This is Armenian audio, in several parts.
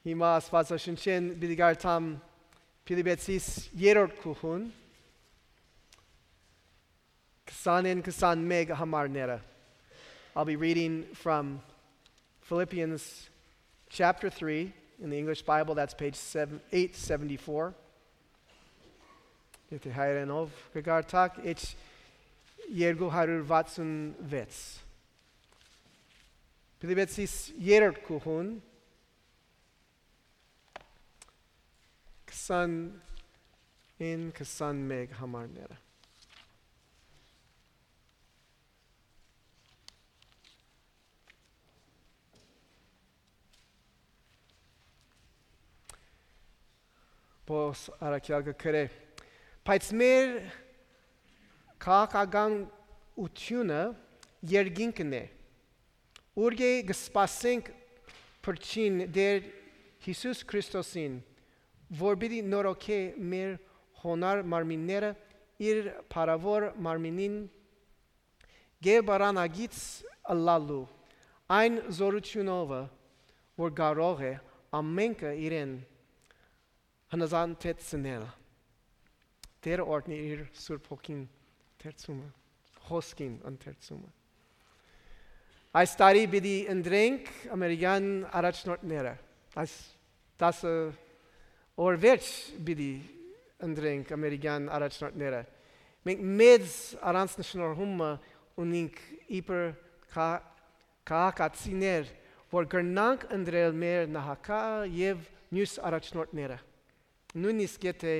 Հիմա Աստվածաշնչեն բիդգարտամ Փիլիպպեցիս 3-րդ գլխուն 20-21 համարները. I'll be reading from Philippians chapter 3 in the English Bible, that's page 874. Եթե հայերենով կգարտակ H 266. Փիլիպպեցիս 3-րդ գլխուն 20-21 համարները. Պողոս առաքյալը գրե. Բայց մեր քաղաքական ությունը երկինքն է. Ուր կսպասենք փրկին դեր Հիսուս Քրիստոսին, որպեսզի նորոգե մեր հոնար մարմինները իր փառավոր մարմինին գեբարանագից ըլլալու այն զորությունով, որ կարող է ամենքը իրեն հնազանդեցնել. Տեր օրհնի իր Սուրբ Հոգին ընթերցումը, խոսքին ընթերցումը. Այս տարի պիտի ընտրենք ամերիկյան առաջնորդները. Այս 10 օր վերջ պիտի ընտրենք ամերիկյան առաջնորդները. Մենք մեծ առանձնահատկություն ունենք իբր քաղաքացիներ, որ կրնանք ընտրել մեր նախագահ եւ մյուս առաջնորդները. Նույնիսկ եթե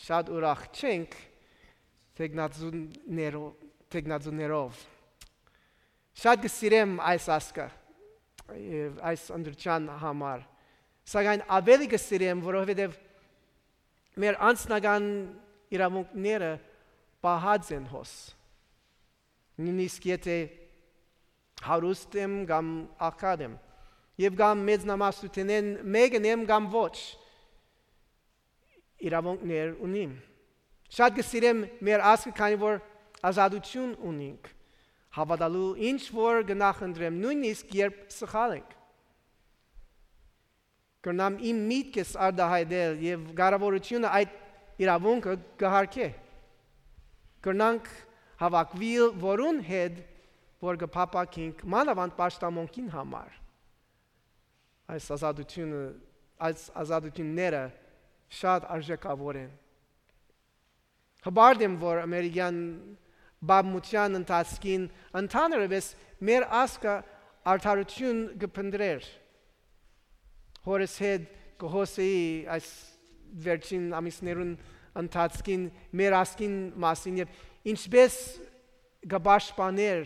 շատ ուրախ չենք տեխնացուներով. Շատ կսիրեմ այս ասկը, այս ընդրճան համար. Սակայն ավելի կսիրեմ, որովհետև մեր անձնական իրավունքները պահած են հոս. Նույնիսկ եթե հարուստ եմ կամ աղքատ եմ, եւ կամ մեծնամասնությունեն մեկն եմ կամ ոչ, իրավունքներ ունիմ. Շատ կսիրեմ մեր ազգը, քանի որ ազատություն ունենք, հավատալու ինչ որ կնախընտրեմ, նույնիսկ երբ սխալ ենք. Կրնամ իմ միտքս արտահայտել եւ կարևորությունը այդ իրավունքը կհարգե. Կրնանք հավաքվել որուն հետ, որ կփապակենք մանավանդ պաշտամունքին համար. Այս ազատությունները շատ արժեքավոր են. Հբարդ եմ, որ ամերիկյան բազմության ընթացքին ընդհանրապես մեր ազգը արդարություն կփնտրեր. Հորս հետ կհոսեի այս վերջին ամիսներուն ընթացքին մեր ազգին մասին եւ ինչպես կպաշտպաներ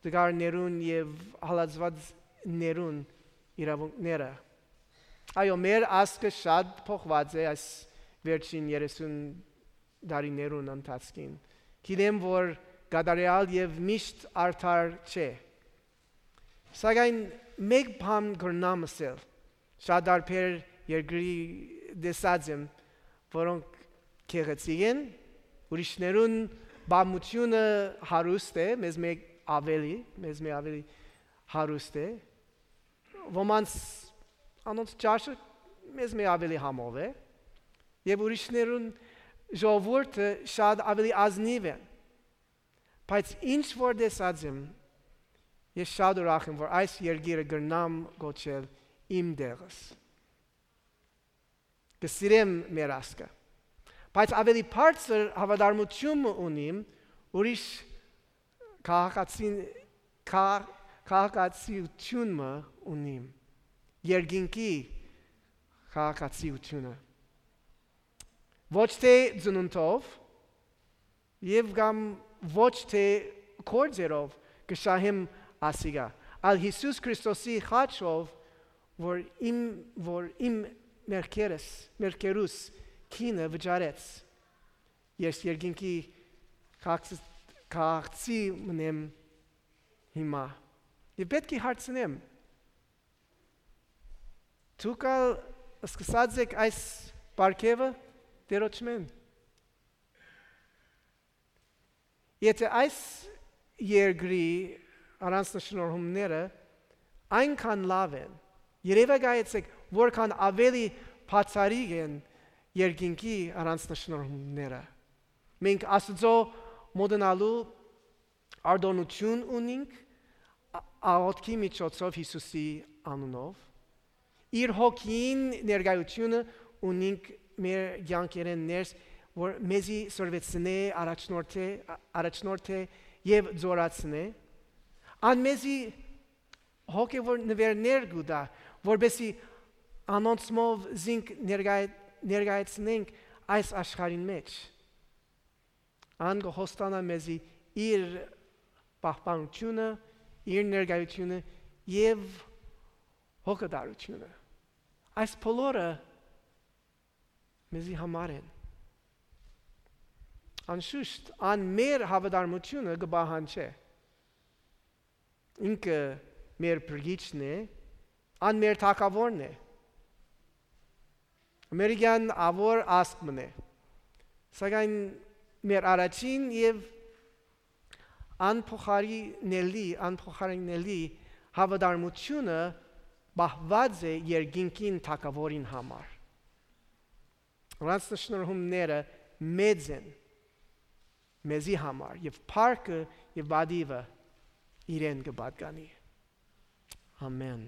դգարներուն եւ հալածվածներուն իրավունքները. Այո, մեր ազգը շատ փոխված է այս վերջին 30 տարիներուն ընթացքին. Գիտեմ, որ կատարյալ եւ միշտ արդար չէ. Սակայն մեկ բան կրնամ ասել. Շատ դարբեր երկրի դեսած եմ, որոնք գեղեցիկ են, ուրիշներուն բամությունը հարուստ է, մեզ մեկ ավելի հարուստ է, ոմանց անոնց ճաշը մեզ մեկ ավելի համով է, եւ ուրիշներուն ժողովուրդը շատ ավելի ազնիվ են. Բայց ինչ որ դեսած եմ, ես շատ ուրախ եմ, որ այս երկիրը կրնամ գոչել իմ դեղս. Կսիրեմ մեր ազգը. Բայց ավելի բարձր հավատարմություն ունիմ ուրիշ քաղաքացիություն ունիմ. Երկինքի քաղաքացիությունը. Ոչ թե ծնունդով եւ կամ ոչ թե կորձերով կշահեմ ասիգա. Այլ Հիսուս Քրիստոսի խաչով, որ իմ մերկերուս քինը վճարեց. Ես երկինքի քաղաքացի մնեմ հիմա. Եվ պետք է հարցնեմ. Դուք սկսած եք այս պարգևը դերոճմեն. Եթե այս երկրի առանձնահատկությունները այնքան լավ են, երևակայեցեք որքան ավելի բացառիկ են երկինքի առանձնահատկությունները։ Մենք Աստծո մոդենալու արտոնություն ունենք աղոթքի միջոցով Հիսուսի անունով։ Իր հոգին ներկայությունը ունենք մեր կյանքերեն ներս, որ մեզի սորվեցնե, առաջնորդե եւ զորացնե։ Ան մեզի հոգևոր նվերներ գուտա, որբեսի անոնցմով զինք ներկայացնենք այս աշխարհին մեջ։ Ան կհոստանա մեզի իր պահպանությունը, իր ներկայությունը եւ հոգատարությունը։ Այս բոլորը մեզի համար են։ Անշուշտ, ան մեր հավատարմությունը կբահանջի։ Ինքը մեր բրգիչն է, ան մեր թագավորն է։ Ամերիկյան ավոր ասկմն է։ Սակայն մեր առաջին եւ անփոխարինելի հավատարմությունը բահված է երկինքին թագավորին համար։ Առանձնահատկությունները մեծ են մեզի համար եւ փառքը եւ բադիվը իրեն կպատկանի։ Ամեն։